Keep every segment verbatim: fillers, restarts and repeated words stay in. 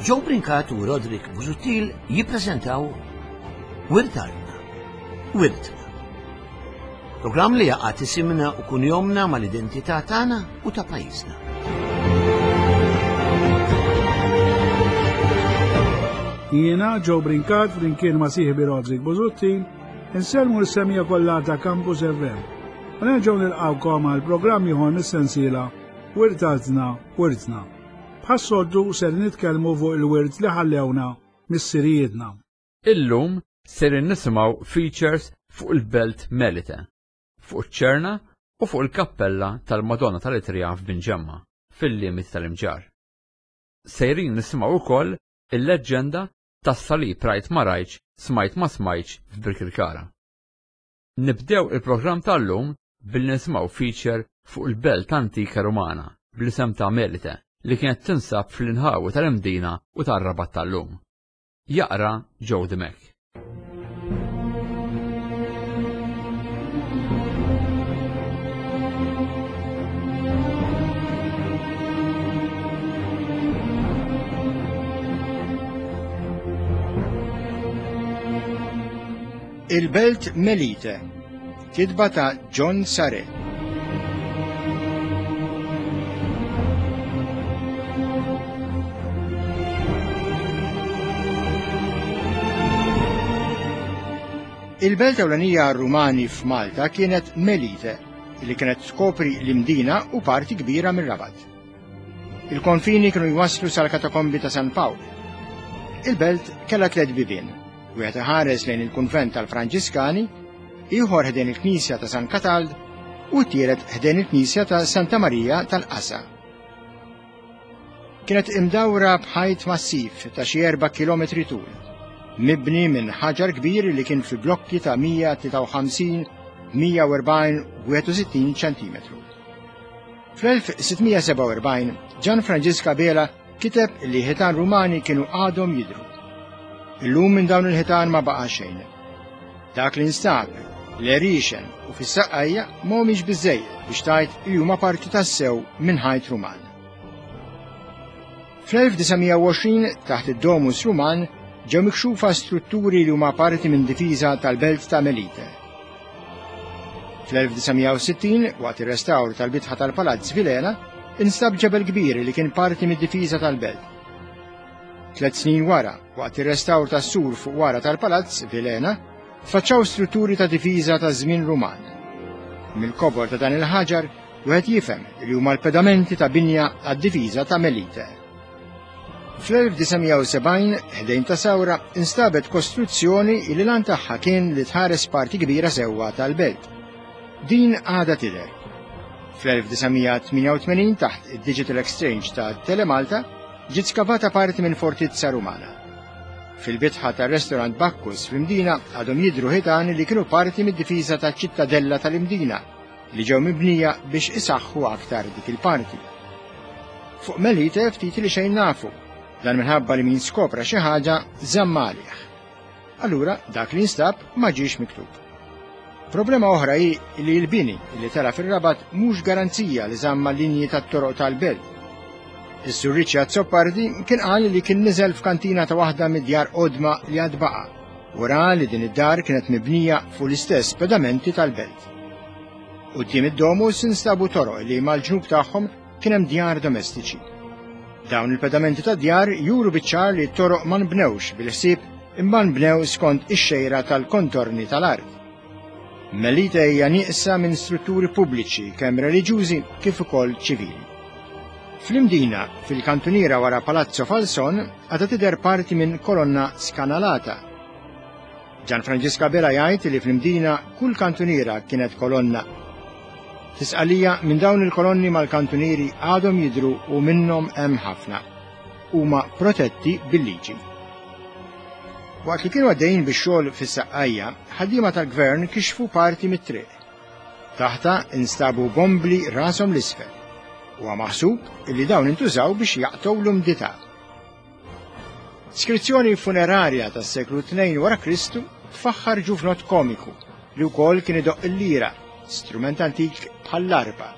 Joe Brincat u Roderick Busuttil jippreżentaw Wirt Artna, Wirtna. Programm li jgħaqqad isimna u kunjomna mal-identità tagħna u ta' pajjiżna. Jiena Joe Brincat flimkien ma' sieħbi Roderick Busuttil insellmu l-semmiegħa kollha ta' Campus F M. U nerġgħu nilqgħukom għal programm ieħor mis-sensiela Wirt Artna, Wirtna. Bħas-soltu ser nitkellmu fuq il-wirt li ħallewna missirijietna. Illum ser nisimgħu features fuq il-Belt Melite, fuq iċ-Ċerna u fuq il-Kappella tal-Madonna tal-Itrija f'Binġemma, fil-limiti tal-Imġarr. Sejrin nisimgħu wkoll il-leġġenda tas-salib rajt ma rajtx, smajt ma smajtx f'Birkirkara. Nibdew il-programm tal-lum billi nisimgħu feature fuq il-Belt Antika Rumana bl-isem ta' Melite li kienet tinsab fl-inħawi tal-Imdina u tar-Rabat tal-lum. Jaqra Joe Dimech. Il-Belt Melite, kitba ta' John Sare. Il-belt ewlenija Rumani f'Malta kienet Melite, li kienet tkopri l-Imdina u parti kbira mir-Rabat. Il-konfini kienu jwaslu sal-katakombi ta' San Pawl. Il-belt kellha tliet bibien, wieħed iħares lejn il-kunvent tal-Franġiskani, ieħor ħdejn il-Knisja ta' San Katald u t-tielet ħdejn il-Knisja ta' Santa Marija tal-Qasa. Kienet imdawra b'ħajt massiv ta' xi erba' kilometri tul, mibni minn ħaġar kbir li kien fi blokki ta' mija tlieta u ħamsin, mija u erbgħin u wieħed u sittin ċentimetru. Fl-elf sittmija sebgħa u erbgħin, Gian Franġisk Abela kiteb li ħitan Rumani kienu għadhom jidhru. Illum minn dawn il-ħitan ma baqa' xejn. Dak li nstab, l-erixen u fis-saqqajja mhumiex biżejjed biex tgħid li huma parti tassew minn ħajt Ruman. Fl-elf disa' mija u għoxrin taħt id-Domus Ruman ġew mikxufa strutturi li huma parti minn difiża tal-belt ta' Melite. Fl-elf disa' mija u sittin, waqt ir-restawr tal-bitħa tal-Palazz Vilhena, instab ġebel kbir li kien parti mid-difiża tal-belt. Tliet snin wara, waqt ir-restawr tas-sur fuq wara tal-Palazz Vilhena, tfaċċaw strutturi ta' difiża ta' żmien Ruman. Mill-kobor ta' dan il-ħaġar, wieħed jifhem li huma l-pedamenti ta' binja għad-difiża ta' Melite. Fl-elf disa' mija u sebgħin, ħdejn ta' Sawra, instabet kostruzzjoni li l-għan tagħha kien li tħares parti kbira sewwa tal-belt. Din għadha tidher. Fl-elf disa' mija tmienja u tmenin, taħt id-Digital Exchange ta' Telemalta, ġiet skavata parti minn fortizza Rumana. Fil-bitħa tar-restorant Bacchus fl-Imdina għadhom jidhru ħitan li kienu parti mid-difiża taċ-ċittadella tal-Imdina li ġew mibnija biex isaħħu aktar dik il-parti. Fuq Melite ftit li xejn nafu, dan minħabba li min skopra xi ħaġa żamm għalih. Allura dak li nstab ma ġiex miktub. Problema oħra hi li l-bini li tela fir-Rabat mhux garanzija li żamma linji tat-toroq tal-belt. Is-Sur Richard Azzopardi kien qal li kien niżel f'kantina ta' waħda mid-djar qodma li għad baqa' u ra li din id-dar kienet mibnija fuq l-istess pedamenti tal-belt. Quddiem id-domus instabu toroq li mal-ġnub tagħhom kien hemm djar domestiċi. Dawn il-pedamenti ta' djar juru biċ-ċar li t-toroq ma nbnewx bil-ħsieb imma nbnew skont ix-xejra tal-kontorni tal-art. Melite hija nieqsa minn strutturi pubbliċi kemm reliġjużi kif ukoll ċivili. Fl-Imdina, fil-kantuniera wara Palazzo Falson, għadha tidher parti minn kolonna skanalata. Gian Franġisk Abela jgħid li fl-Imdina kull kantuniera kienet kolonna. Tisqalija minn dawn il-kolonni mal-kantunieri għadhom jidhru u minnhom hemm ħafna. Huma protetti bil-liġi. Waqt li kienu għaddejjin bix-xogħol fis-saqqajja, ħaddiema tal-gvern kixfu parti mit-triq. Taħta instabu bombli rashom l-isfel. Huwa maħsub li dawn intużaw biex jaqtgħu l-umdità. Skrizzjoni funerarja tas-seklu tnejn wara Kristu tfaħħar ġuvnot komiku li wkoll kien idoqq il-lira, strument antik bħall-arpa.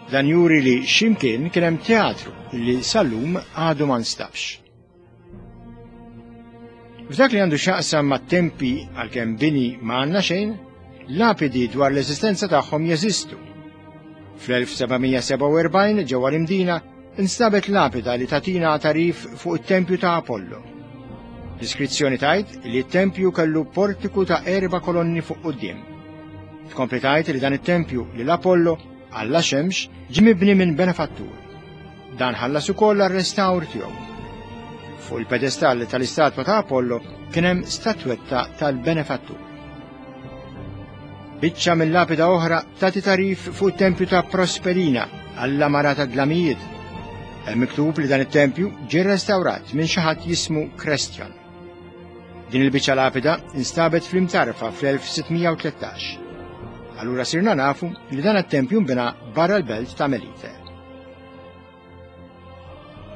Dan juri li x'imkien kien hemm teatru li sal-lum għadu ma nstabx. F'dak li għandu x'jaqsam mat-tempi għalkemm bini ma għandna xejn, lapidi dwar l-eżistenza tagħhom jeżistu. Fl-elf seba' mija sebgħa u erbgħin ġewwa l-Imdina instabet lapida li tatina tarif fuq it-tempju ta' Apollo. L-iskrizzjoni tgħid li t-tempju kellu portiku ta' erba' kolonni fuq quddiem. Tkompli tgħid li dan it-tempju lil Apollo alla xemx ġie mibni minn benefattur. Dan ħallas ukoll għar-restawr tiegħu. Fuq il-pedestall tal-istatwa ta' Apollo kien hemm statwetta tal-benefattur. Biċċa mill-lapida oħra tagħti tarif fuq it-tempju ta' Prosperina alla mara ta' dlamijiet. Hemm miktub li dan it-tempju ġie rrestawrat minn xi ħadd jismu Krestjon. Din il-biċċa lapida instabet fl-Imtarfa fl-elf sitt mija u tlettax. Allura sirna nafu li dan it-tempju nbena barra l-belt ta' Melite.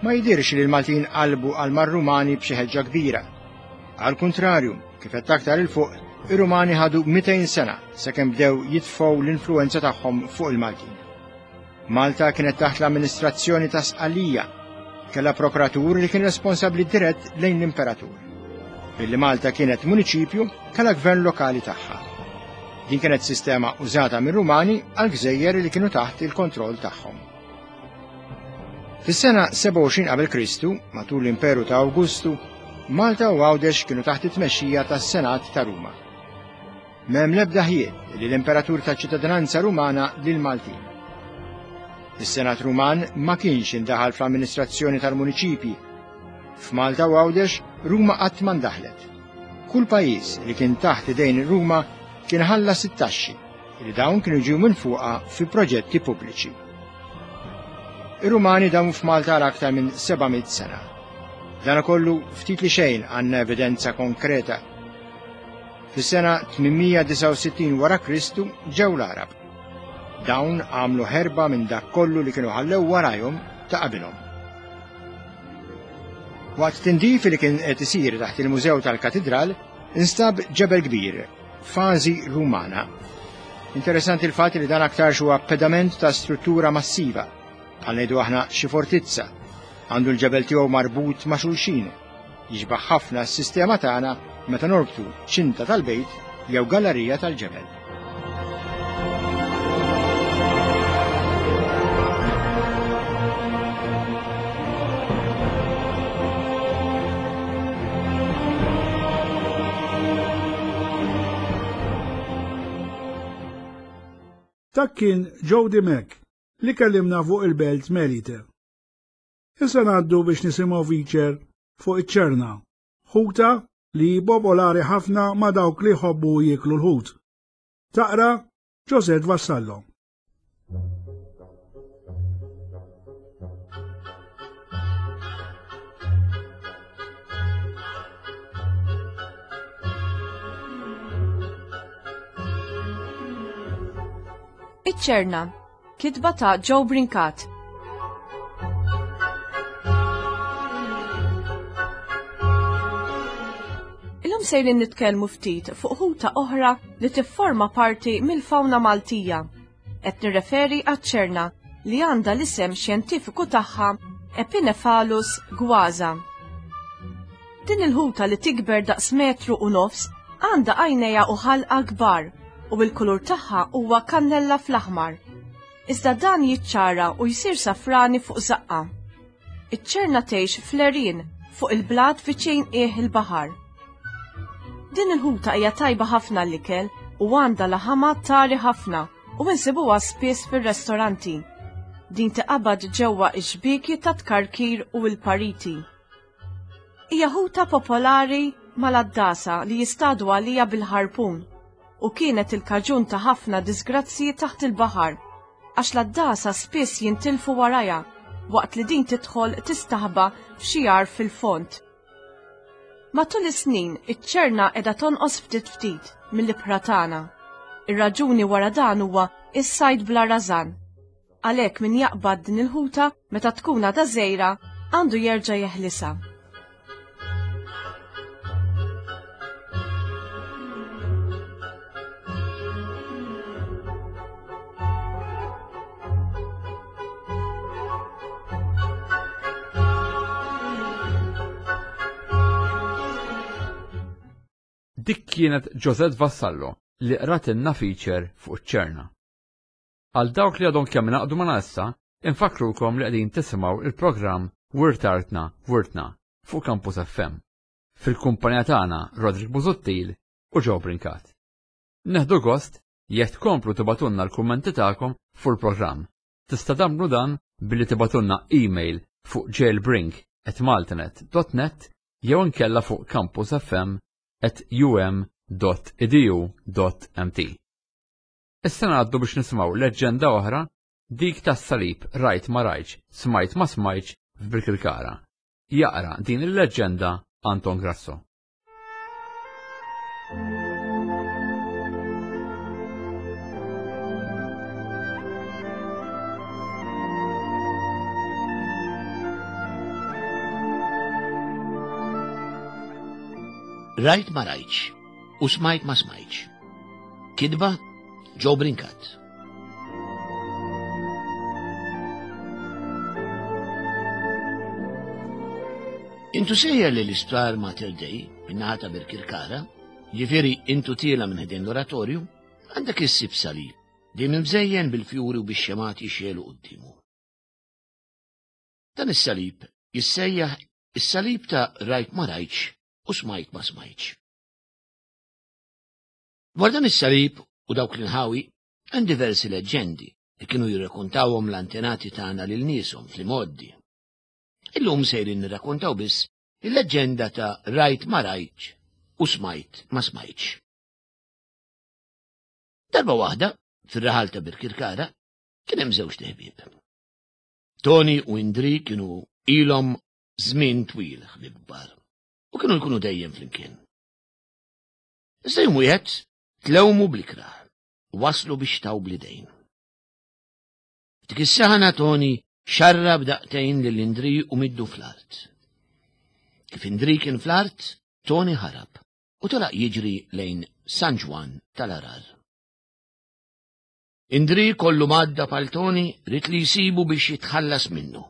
Ma jidirx li l-Maltin qalbu għal mar-Rumani b'xi ħeġġa kbira. Għal kuntrarju, kif qed aktar il fuq, ir-Rumani ħadu mitejn sena sakemm bdew jitfgħu l-influenza tagħhom fuq il-Maltin. Malta kienet taħt l-amministrazzjoni ta' Sqallija, kellha prokuratur li kien responsabbli dirett lejn l-imperatur. Billi Malta kienet municipju, kellha gvern lokali tagħha. Din kienet sistema użata mir-Rumani għal gżejjer li kienu taħt il-kontroll tagħhom. Fis-sena sebgħa u għoxrin qabel Kristu, matul l-Imperu ta' Awgustu, Malta u Għawdex kienu taħt it-tmexxija tas-Senat ta' Ruma. M'hemm l-ebda ħjiel li l-Imperatur ta' ċittadinanza Rumana lil Maltin. Is-Senat Ruman ma kienx indaħal fl-amministrazzjoni tal-muniċipji. F'Malta u Għawdex, Ruma qatt ma ndaħlet. Kull pajjiż li kien taħt idejn Ruma kien ħallas it-taxxi li dawn kienu ġew minn fuqha fi proġetti pubbliċi. Ir-Rumani damu f'Malta għal aktar minn seba' mitt sena. Dan kollu ftit li xejn għandna evidenza konkreta. Fis-sena tmien mija disgħa u sittin wara Kristu ġew l-Għarab. Dawn għamlu ħerba minn dak kollu li kienu ħallew warajhom ta' qabilhom. Waqt tindif li kien qed isir taħt il-Mużew tal-Katidral, instab ġebel kbir, fażi Rumana. Interessanti l-fatt li dan aktarx huwa pedament ta' struttura massiva, bħal ngħidu aħna xi fortizza. Għandu l-ġebel tiegħu marbut ma' xulxin. Jixbaħ ħafna s-sistema tagħna meta norbtu ċinta tal-bejt jew gallerija tal-ġebel. Dak kien Joe Dimech li kellimna fuq il-belt Melite. Issa ngħaddu biex nisimgħu feature fuq iċ-ċerna, ħuta li popolari ħafna ma' dawk li jħobbu jieklu l-ħut. Taqra Josette Vassallo. Iċ-ċerna, kitba ta' Joe Brincat. Illum sejrin nitkellmu ftit fuq ħuta oħra li tifforma parti mill-fawna Maltija. Qed nirreferi għaċ-ċerna li għandha l-isem xjentifiku tagħha Epinephelus gwaza. Din il-ħuta li tikber daqs metru u nofs għandha għajnejha u ħalqa kbar u l-kulur tagħha huwa kannella fl-aħmar. Iżda dan jiċċara u jsir safrani fuq zaqqa. Iċ-ċerna tgħix fl-għerien fuq il-blat viċin qiegħ il-baħar. Din il-ħuta hija tajba ħafna l-ikel u għandha laħama tari ħafna u insibuha spiss fir-restoranti. Din tiqabad ġewwa x-xbieki ta' tkarkir u l-pariti. Hija ħuta popolari mal-għaddasa li jistadu għalija bil-ħarpun u kienet il-kaġun ta' ħafna disgrazzji taħt il-baħar, għax l-għaddasa spiss jintilfu warajha waqt li din tidħol tistaħba f'xi għar fil-fond. Matul is-snin, iċ-ċerna qiegħda tonqos ftit ftit mill-ibħra tagħna. Ir-raġuni wara dan huwa is-sajd bla rażan. Għalhekk min jaqbad din il-ħuta meta tkun għadha żgħira għandu jerġa' jeħlisha. Dik kienet Josette Vassallo li qratilna feature fuq iċ-ċerna. Għal dawk li għadhom kemm ingħaqdu magħna issa, infakkrukom li qegħdin tisimgħu il-programm Wirt Artna Wirtna fuq Campus F M. Fil-kumpanija tagħna Roderick Busuttil u Joe Brincat. Nieħdu gost jekk tkomplu tibagħtulna l-kummenti tagħkom fuq il-programm. Tista' tagħmlu dan billi tibagħtulna email fuq jailbrink at maltanet dot net jew inkella fuq campusfm at um dot edu dot M T. Issa ngħaddu biex nisimgħu leġġenda oħra, dik tas-salib rajt ma rajtx, smajt ma smajtx f'Birkirkara. Jaqra din il-leġġenda Anton Grasso. Rajt ma rajtx u smajt ma smajtx. Kitba Joe Brincat. Intu sejjer li l-isptar Mater Dei, min-naħa ta' Birkirkara, ġifieri intu tiela' minn ħdejn l-oratorju, għandek issib salib, dejjem imżejjen bil-fjuri u bix-xemgħat jixegħlu quddiemu. Dan is-salib jissejjaħ is-salib ta' rajt ma rajtx u smajt ma smajtx. Dwar dan is-salib u dawk l-inħawi hemm diversi leġġendi li kienu jirrakkontawhom l-antenati tagħna lil nieshom fl-imgħoddi. Illum sejrin nirrakkontaw biss il-leġġenda ta' rajt ma rajtx u smajt ma smajtx. Darba waħda, fir-raħal ta' Birkirkara, kien hemm żewġt iħbieb. Toni u Indri kienu ilhom żmien twil ħbieb kbar u kienu jkunu dejjem flimkien. Iżda jum wieħed tlewmu bl-ikrah u waslu biex taw bl-idejn. Dik is-saħna Toni xarrab daqtejn lil Indri u middu fl-art. Kif Indri kien fl-art, Toni ħarab u telaq jiġri lejn San Ġwann tal-Għargħar. Indri kollu madda għal Toni ried li jsibu biex jitħallas minnu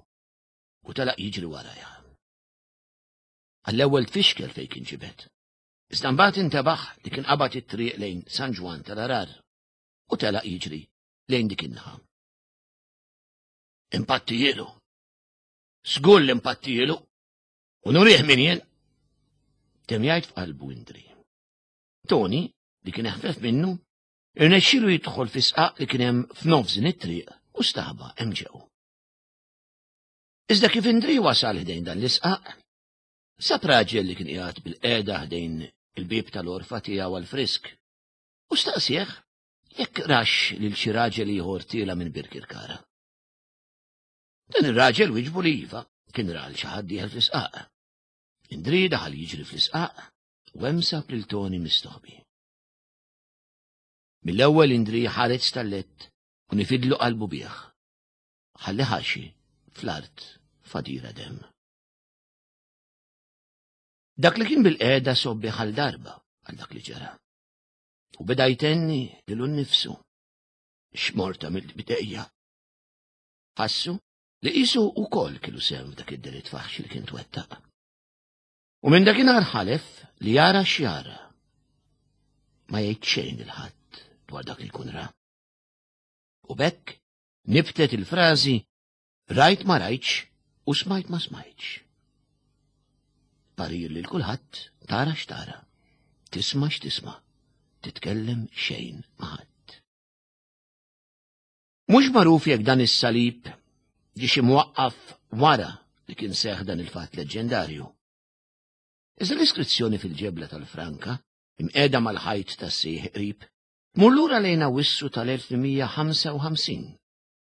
u telaq jiġri warajha. Għall-ewwel tfixkel fejn kien ġibed. Iżda mbagħad intebaħ li kien qabad it-triq lejn San Ġwann tal-Għargħar u telaq jiġri lejn dik in-naħa. Impattijielu. Żgur li impattijielu. U nurih min jien. Temm jgħid f'qalbu Indri. Toni, li kien eħfef minnu, irnexxielu jidħol fi sqaq li kien hemm f'nofs din it-triq u staħba hemm ġew. Iżda kif Indri wasal ħdejn dan l-isqaq, sab raġel li kien qiegħed bil-qiegħda ħdejn il-bieb tal-għorfa tiegħu għal-frisk u staqsieħ jekk rax lil xi raġel ieħor tiela' minn Birkirkara. Dan ir-raġel wieġbu li iva, kien ra xi ħadd dieħel fl-isqaq. Indri daħal jiġri fl-isqaq u hemm sab lil Toni mistoħbi. Mill-ewwel Indri ħareġ stallett u nifidlu qalbu bih. Ħalli ħaxi fl-art fadira dem. Dak li kien bil-qiegħda sobbi għal darba għal dak li ġara. U beda jtenni lilu nnifsu. X'morta mill-bidejja. Ħassu li qisu wkoll kellu sehem f'dak id-delitt faħxi li kien twettaq. U minn dakinhar ħalef li jara x'jara. Ma jgħid xejn lil ħadd dwar dak li jkun ra. U b'hekk nibtet il-frażi rajt ma rajtx u smajt ma smajtx. Parir lil kulħadd: tara x'tara, tisma' x'tisma', titkellem xejn ma' ħadd. Mhux magħruf jekk dan is-salib ġiex imwaqqaf wara li kien seħ dan il-fatt leġġendarju. Iżda l-iskrizzjoni fil-ġebla tal-Franka, imqiegħda mal-ħajt tas-sieħ qrib, tmur lura lejn Awwissu tal-elf tmien mija ħamsa u ħamsin,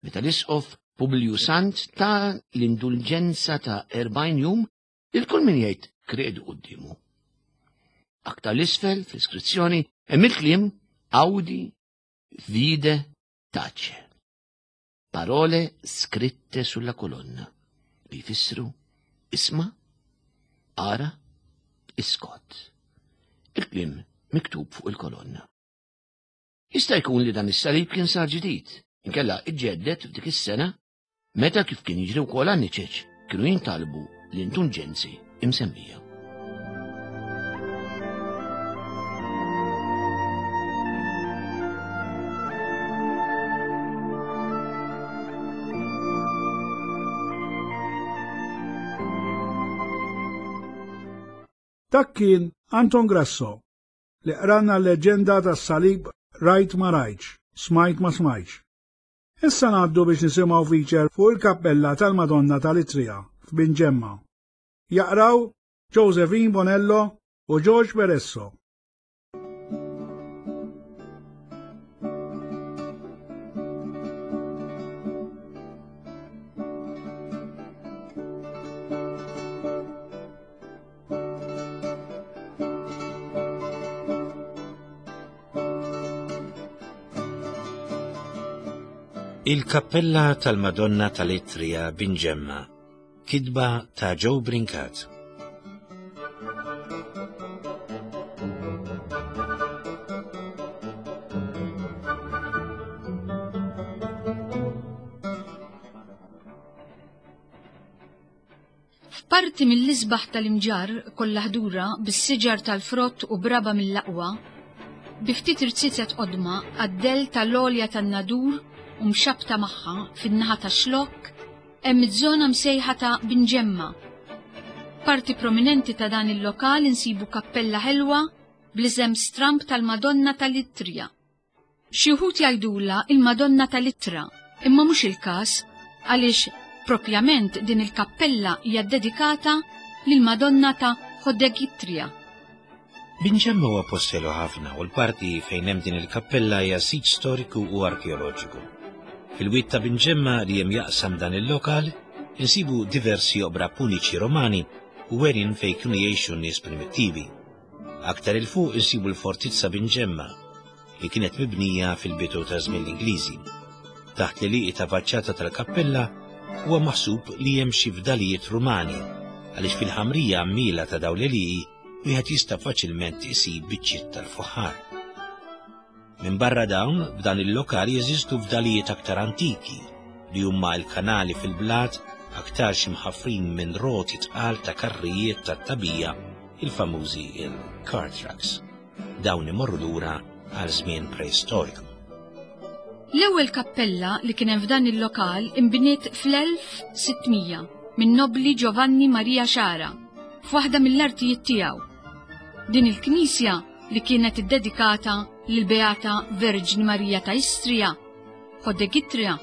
meta l-isqof Publiju Sant ta l-indulġenza ta' erbgħin jum lil kull min jgħid kredu quddiemu. Aktar 'l isfel fl-iskrizzjoni hemm il-kliem "Audi, vide, tace". Parole scritte sulla colonna li jfissru isma', ara, iskot. Il-kliem miktub fuq il-kolonna. Jista' jkun li dan is-salib kien sar ġdid, inkella iġġedded f'dik is-sena meta, kif kien jiġri wkoll għan-niċeċ, kienu jintalbu l-indulġenzi imsemmija. Dak kien Anton Grasso li qranna l-leġenda tas-salib Rajt ma rajtx, smajt ma smajtx. Issa ngħaddu biex nisimgħu feature fuq il-kappella tal-Madonna tal-Itrija f'Binġemma. Jaqraw Josephine Bonello u George Peresso. Il-Kappella tal-Madonna tal-Itrija Binġemma, kitba ta' Joe Brincat. F'parti mill-isbaħ tal-Imġarr kollha ħdura bis-siġar tal-frott u braba mill-aqwa, bi ftit irziezet qodma għad-dell tal-għolja tan-Nadur u mxabta magħha fin-naħa ta' Xlokk hemm iż-żona msejħa ta' Binġemma. Parti prominenti ta' dan il-lokal insibu kappella ħelwa bl-isem stramb tal-Madonna tal-Itrija. Xi wħud jgħidulha il-Madonna tal-Ittra, imma mhux il-każ għaliex propjament din il-kappella hija ddedikata lill-Madonna ta' Hodegitrija. Binġemma huwa post ħelu ħafna u l-parti fejn hemm din il-kappella hija sit storiku u arkeoloġiku. Fil-wied ta' Binġemma li hemm jaqsam dan il-lokal insibu diversi oqbra puniċi Romani u għerien fejn kienu jgħixu n-nies primittivi. Aktar il fuq insibu l-fortizza Binġemma li kienet mibnija fil-bidu ta' żmien l-Ingliżi. Taħt l-għelieqi ta' faċċata tal-kappella huwa maħsub li hemm xi fdalijiet Rumani għaliex fil-ħamrija għammiela ta' dawn l-għelieqi wieħed jista' faċilment isib biċċiet tal-fuħħar. Minn barra dawn, f'dan il-lokal jeżistu fdalijiet aktar antiki li huma l-kanali fil-blat aktarx imħaffrin minn roti tqal ta' karrijiet tat-tabija, il-famużi il-car trucks. Dawn imorru lura għal żmien preistoriku. L-ewwel kappella li kien hemm f'dan il-lokal inbniet fl-elf sitt mija minn nobli Giovanni Maria Xara f'waħda mill-artijiet tiegħu. Din il-knisja li kienet iddedikata lill-Beata Verġni Marija ta' Istrija, Hodegitrija,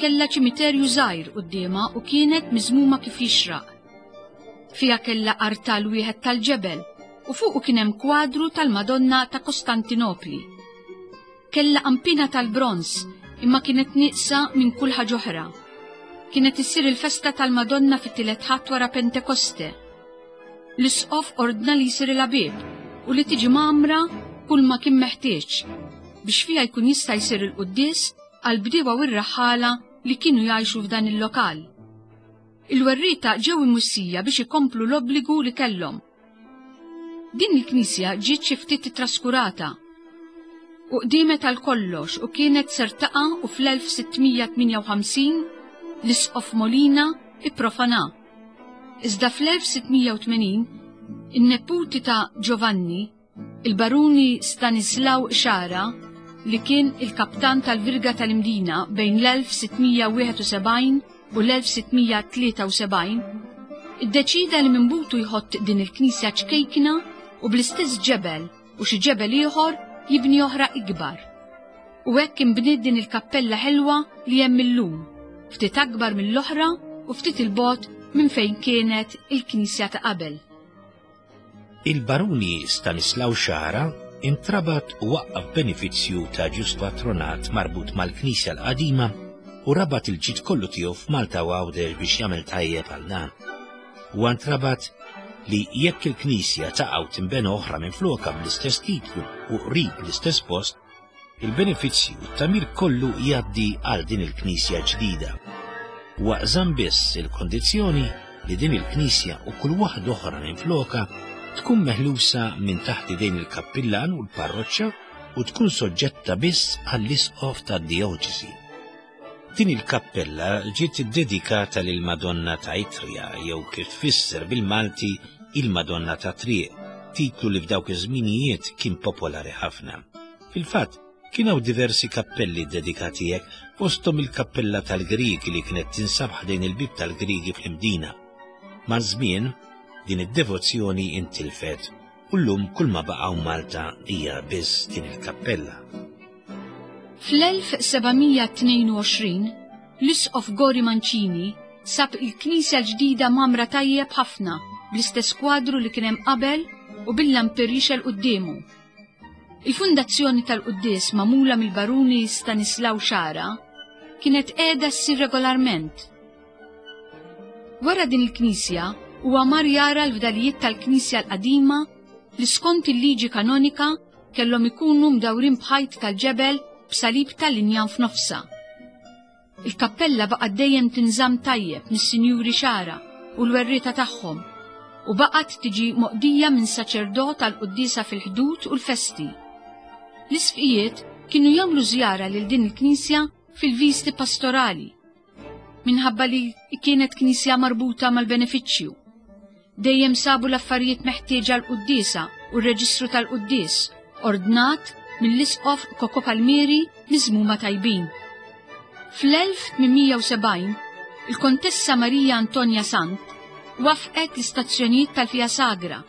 kellha ċimiterju żgħir quddiemha u kienet miżmuma kif jixraq. Fiha kellha artal wieħed tal-ġebel u fuqu kien hemm kwadru tal-Madonna ta' Kostantinopli. Kellha qampina tal-bronz imma kienet nieqsa minn kull ħaġa oħra. Kienet issir il-festa tal-Madonna fit-tielet Ħadd wara Pentekoste. L-isqof ordna li jsir il-bieb u li tiġi mgħammra kull ma kien meħtieġ biex fiha jkun jista' jsir il-quddies għal bdiewa u r-raħħala li kienu jgħixu f'dan il-lokal. Il-werrieta ġew imwissija biex ikomplu l-obbligu li kellhom. Din il-knisja ġiet xi ftit traskurata u qdiemet għal kollox u kienet ser taqa' u fl-elf sitt mija tmienja u ħamsin l-isqof Molina ipprofana. Iżda fl-elf sitt mija u tmenin in-neputi ta' Giovanni, il-baruni Stanislaw Xara, li kien il-kaptan tal-Virga tal-Imdina bejn l-elf sitt mija wieħed u sebgħin u l-elf sitt mija tlieta u sebgħin, iddeċida li minn butu jħott din il-knisja ċkejkna u bl-istess ġebel u xi ġebel ieħor jibni oħra ikbar. U hekk inbniet din il-kappella ħelwa li hemm illum, ftit akbar mill-oħra u ftit il-bogħod minn fejn kienet il-knisja ta' qabel. Il-baruni Stanislaw Xara intrabat u waqqaf benefizzju ta' ġust patronat marbut mal-knisja l-qadima u rabat il-ġid kollu tiegħu f'Malta u Għawdex biex jagħmel tajjeb għal dan. U intrabat li jekk il-knisja taqa' u tinbena oħra minn floka bl-istess titlu u qrib l-istess post, il-benefizzju u t-tamir kollu jgħaddi għal din il-knisja ġdida. Waqżam biss il-kondizzjoni li din il-knisja u kull waħda oħra minn floka tkun meħlusa minn taħt idejn il-kappillan u l-parroċċa u tkun soġġetta biss għall-isqof tad-dioċesi. Din il-kappella ġiet iddedikata lil Madonna ta' Itrija jew kif tfisser bil-Malti il-Madonna ta' Triq, titlu li f'dawk iż-żminijiet kien popolari ħafna. Fil-fatt, kien hawn diversi kappelli ddedikati hekk, fosthom il-kappella tal-Griegi li kienet tinsab ħdejn il-bieb tal-Griegi fl-Imdina. Maż-żmien, din id-devozzjoni intilfet u llum kull ma baqgħu Malta hija biss din il-kappella. Fl-elf sebgħamija tnejn u għoxrin, l-Isqof Gori Mancini sab il-knisja l-ġdida mamra tajjeb ħafna bl-istess kwadru li kien hemm qabel u bil-lampir jixgħel quddiemu. Il-fundazzjoni tal-quddies magħmula mill-baruni Stanislaw Xara kienet qiegħda ssir regolarment. Wara din il-knisja huwa mar jara l-fdalijiet tal-knisja l-qadima li skont il-liġi kanonika kellhom ikunu mdawrin b'ħajt tal-ġebel b'salib tal-injam f'nofsha. Il-kappella baqgħet dejjem tinżamm tajjeb mis-Sinjuri Xara u l-werrieta tagħhom u baqgħet tiġi moqdija minn saċerdot għall-quddiesa fil-ħdud u l-festi. L-isqfijiet kienu jagħmlu żjara lil din il-knisja fil-visti pastorali, minħabba li kienet knisja marbuta mal-benefiċċju. Dejjem sabu l-affarijiet meħtieġa l-quddiesa u r-reġistru tal-quddies, ordnat mill-isqof Koko Palmieri miżmuma tajbin. Fl-elf tmien mija u sebgħin, il-Kontessa Maria Antonia Sant wafqet l-istazzjonijiet tal-Via Sagra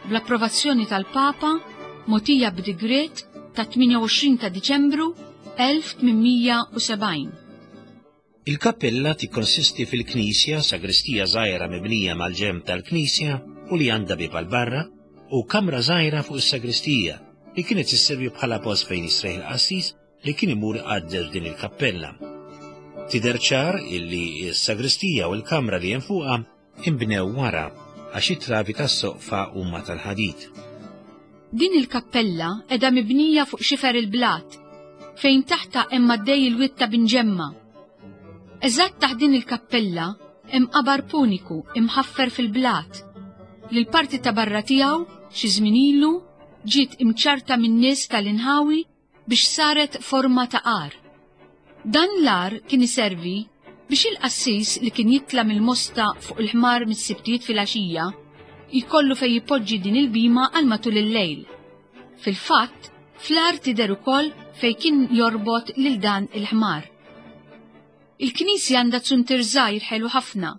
bl-approvazzjoni tal-Papa mogħtija b'digriet ta' tmienja u għoxrin ta' Diċembru elf tmien mija u sebgħin. Il-kappella tikkonsisti fil-knisja, sagristija żgħira mibnija mal-ġenb tal-knisja u li għandha bieb għal barra, u kamra żgħira fuq is-sagristija li kienet isservi bħala post fejn jisreħ il-qassis li kien imur iqaddes din il-kappella. Tidher ċar illi s-sagristija u l-kamra li hemm fuqha inbnew wara għax it-travi tas-soqfa huma tal-ħadid. Din il-kappella qiegħda mibnija fuq xifer il-blat, fejn taħta hemm għaddej il-wied ta' Binġemma. Eżatt taħt din il-kappella hemm qabar puniku imħaffer fil-blat, li l-parti ta' barra tiegħu xi żmien ilu ġiet imċarta min-nies tal-inħawi biex saret forma ta' għar. Dan l-għar kien iservi biex il-qassis li kien jitla' mill-mosta fuq il-ħmar mis-sibtijiet fil-għaxija jkollu fejn jipoġġi din il-bima għal matul il-lejl. Fil-fatt, fl-għar tidher ukoll fejn kien jorbot lil dan il-ħmar. Il-knisja għandha zuntier żgħir ħelu ħafna,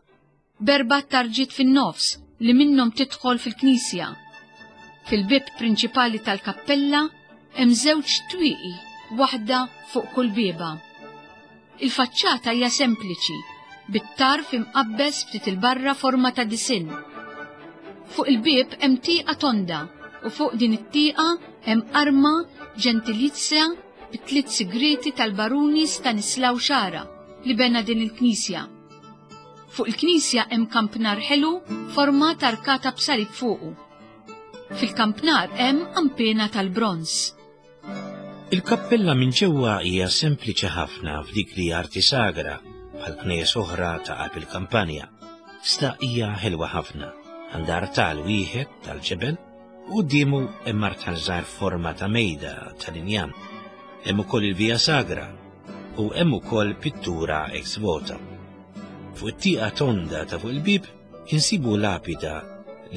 b'erba' tarġiet fin-nofs li minnhom tidħol fil-knisja. Fil-bib prinċipali tal-kappella hemm żewġ twieqi, waħda fuq kull bieba. Il-faċċata hija sempliċi, bit-tarf imqabbeż ftit il-barra forma ta' disinn. Fuq il-bieb hemm tieqa tonda u fuq din it-tieqa hemm arma ġentilizja bi tliet sigreti tal-baruni Stanislaw Xara li bena din il-knisja. Fuq il-knisja hemm kampnar ħelu forma ta' arkata b'salib fuqu. Fil-kampnar hemm ampena tal-bronż. Il-kappella minn ġewwa hija sempliċi ħafna f'dik li arti sagra bħal knejjes oħra ta' qalb il-kampanja. Sta hija ħelwa ħafna, għandha artal wieħed tal-ġebel u quddiemu hemm artal żgħar forma ta' mejda tal-injam. Hemm ukoll il-Via Sagra u hemm ukoll pittura ex voto. Fuq it-tieqa tonda ta' fuq il-bib insibu lapida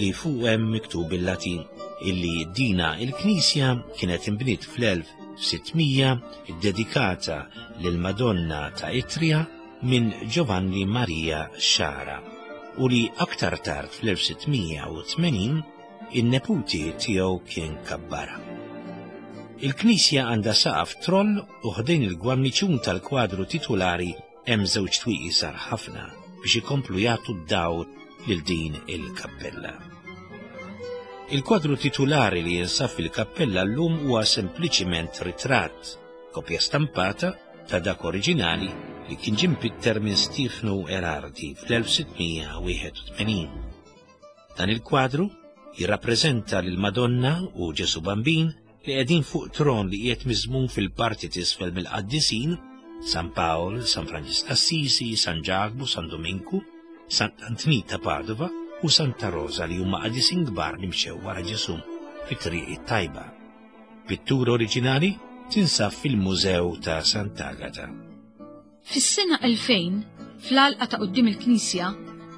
li fuq hemm miktub bil-Latin illi dina il-knisja kienet inbniet fl-elf sittmija ddedikata lil Madonna ta' Itria minn Giovanni Maria Xara u li aktar tard fl-elf sittmija u tmenin in-neputi tiegħu kien kabbara. Il-knisja għandha saqaf troll u ħdejn il-gwarniċun tal-kwadru titulari hemm żewġ twieqi żgħar ħafna biex ikomplu jagħtu d-dawl lil din il-kappella. Il-kwadru titulari li jinsab fil-kappella llum huwa sempliċiment ritratt, kopja stampata ta' dak oriġinali li kien ġie mpitter minn Stefano Erardi fl-elf sittmija wieħed u tmenin. Dan il-kwadru jirrappreżenta lil Madonna u Ġesu Bambin li qegħdin fuq tron li qiegħed miżmum fil-parti t'isfel mill-qaddisin San Pawl, San Franġisk Assisi, San Ġakbu, San Dominku, San Antni ta' Padova u Santa Rosa li huma qaddisin kbar li mxew wara Ġesu fit-triq it-tajba. Pittura oriġinali tinsab fil-Mużew ta' Sant'Agata. Fis-sena elfejn, fl-għalqa ta' quddiem il-Knisja,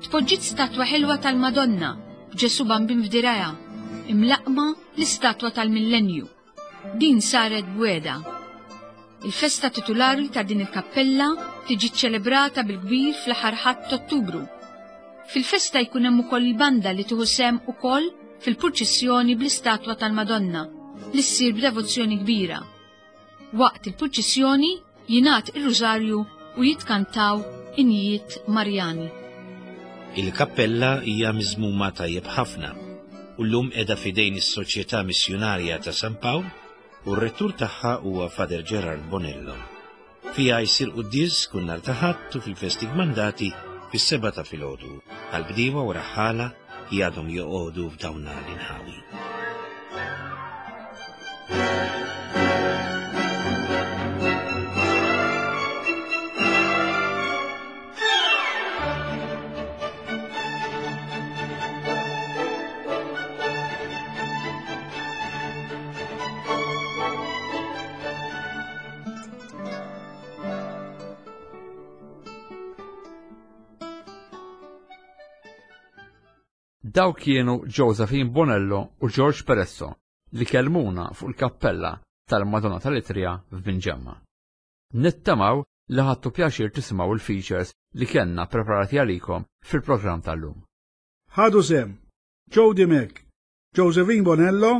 tpoġġiet statwa ħelwa tal-Madonna b'Ġesu Bambin f'dirajha, imlaqma l-istatwa tal-Millenju. Din saret bweda. Il-festa titulari ta' din il-kappella tiġi ċelebrata bil-kbir fl-aħħar Ħadd Ottubru. Fil-festa jkun hemm ukoll il-banda li tieħu sehem ukoll fil-purċissjoni bl-istatwa tal-Madonna li ssir b'devozzjoni kbira. Waqt il-purċissjoni jingħad ir-rużarju u jitkantaw injiet Marjani. Il-kappella hija miżmuma tajjeb ħafna u llum qiegħda f'idejn is-Soċjetà Missjunarja ta' San Pawl u r-rettur tagħha huwa Father Gerard Bonello. Fiha jsir quddies kull nhar ta' Ħadd u fil-festi kmandati fis-sebgħa ta' filgħodu għal bdiewa u raħħala li għadhom joqogħdu f'dawn l-inħawi. Dawk kienu Josephine Bonello u George Peresso li kellmuna fuq il-kappella tal-Madonna tal-Itria f'Binġemma. Nittamaw li ħadtu pjaċir tisimgħu il-features li kellna preparati għalikom fil-programm tal-lum. Ħadu sehem Joe Dimech, Josephine Bonello,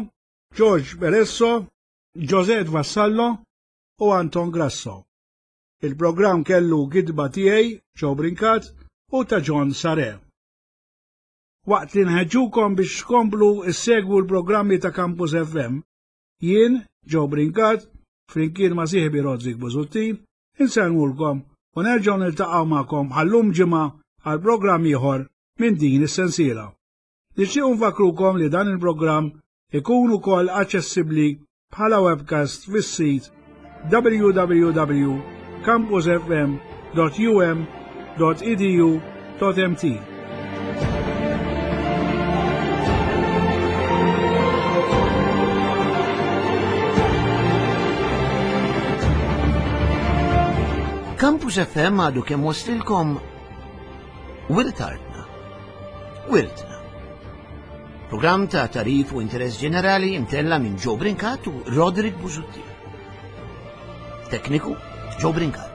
George Peresso, Josette Vassallo u Anton Grasso. Il-programm kellu gidba tiegħi, Joe Brincat, u ta' John Sare. Waqt li nħeġġukom biex tkomplu issegwu l-programmi ta' Campus F M, jien, Joe Brincat, flimkien ma' sieħbi Roderick Busuttil, insellmulkom u nerġgħu niltaqgħu magħkom bħallum ġimgħa għal programm ieħor minn din is-sensiela. Nixtiequ nfakrukom li dan il-programm ikun ukoll aċċessibbli bħala webcast fis-sit w w w dot campus f m dot u m dot e d u dot m t. Campus F M għadu kemm waslilkom Wirt Artna, Wirtna. Programm ta' tarif u interess ġenerali imtella minn Joe Brincat u Roderick Busuttil. Tekniku Joe Brincat.